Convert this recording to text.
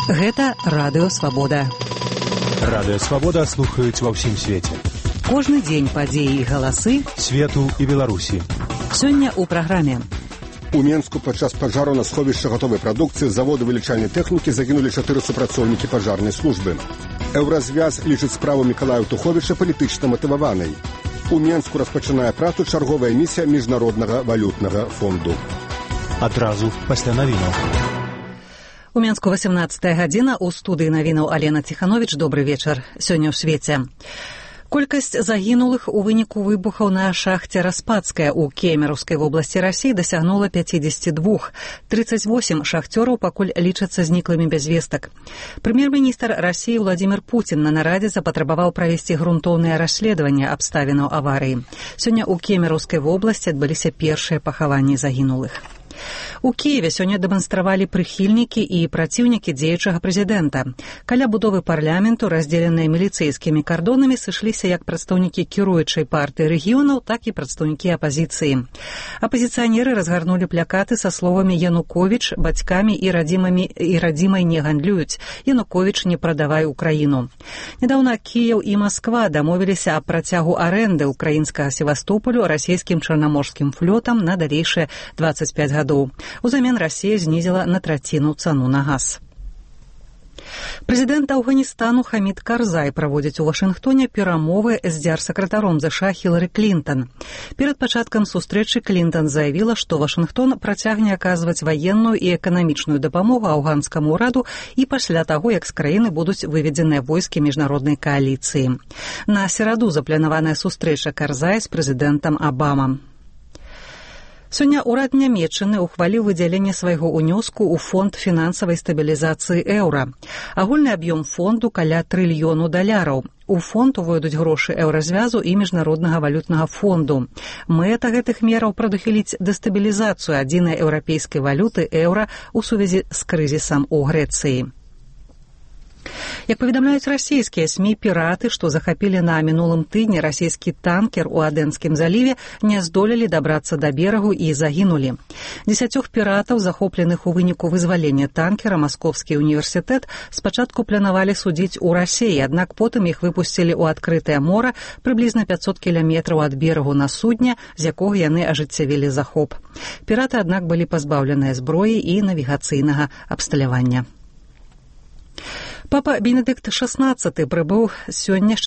Гэта Радыё Свабода. Радыё Свабода слухаюць ва ўсім свеце. Кожны дзень падзеі і галасы свету і Беларусі. Сёння ў праграме. У Менску падчас пажару на сховішча гатовай прадукцыі заводу вылічальнай тэхнікі загінулі 4 супрацоўнікі пажарнай службы. Еўразвяз лічыць справу Мікалая Туховіча палітычна матываванай. У Менску распачынае працу чарговая місія Міжнароднага валютнага фонду. Адразу пасля навінаў. У Менску 18 гадзіна, у студыі навінаў Алена Ціхановіч. Добры вечар. Сёння ў свеце. Колькасць загінулых у выніку выбухаў на шахце Распадская ў Кемераўскай вобласці Расіі дасягнула 52. 38 шахцёраў пакуль лічацца зніклымі без вестак. Прэм'ер-міністр Расіі Владзімір Пуцін на нарадзе запатрабаваў правесці грунтоўнае расследаванне абставінаў аварыі. Сёння ў Кемераўскай вобласці адбыліся першыя пахаванні загінулых. У Кіеве сёння дэманстравалі прыхільнікі і праціўнікі дзеючага прэзідэнта. Каля будовы парламенту, раздзеленыя міліцэйскімі кардонамі, сышліся як прадстаўнікі кіруючай партыі рэгіёнаў, так і прадстаўнікі апазіцыі. Апазіцыянеры разгарнулі плакаты са словамі «Януковіч бацькамі і радзімай не гандлююць», «Януковіч не прадавай Украіну». Нядаўна Кіеў і Масква дамовіліся аб працягу арэнды ўкраінскага Севастополю расійскім чарнаморскім флотам на далейшыя 25 гадоў. Узамен Расія знізіла на траціну цану на газ. Прэзідэнт Афганістану Хамід Карзай праводзіць у Вашынгтоне перамовы з дзярсакратаром ЗША Хілары Клінтан. Перад пачаткам сустрэчы Клінтан заявіла, што Вашынгтон працягне аказваць ваенную і эканамічную дапамогу афганскаму ўраду і пасля таго, як з краіны будуць выведзеныя войскі міжнароднай кааліцыі. На сераду запланаваная сустрэча Карзая з прэзідэнтам Абама. Сёння ўрад Нямецчыны ўхваліў выдзяленне свайго ўнёску ў фонд фінансавай стабілізацыі еўра. Агульны аб'ём фонду каля $1 трыльёна. У фонд увойдуць грошы еўразвязу і міжнароднага валютнага фонду. Мэта гэтых мераў прадухіліць дэстабілізацыю адзінай еўрапейскай валюты еўра ў сувязі з крызісам у Грэцыі. Як паведамляюць расійскія СМІ, піраты, што захапілі на мінулым тыдні расійскі танкер у Адэнскім заліве, не здолелі дабрацца да берагу і загінулі. 10 піратаў, захопленых у выніку вызвалення танкера, Маскоўскі універсітэт спачатку планавалі судзіць у Расіі, аднак потым іх выпусцілі ў адкрытае мора прыблізна 500 кіламетраў ад берагу на судне, з якога яны ажыццявілі захоп. Піраты, аднак, былі пазбаўленыя зброі і навігацыйнага абсталявання. Папа Бенедыкт XVI прыбыў сёння з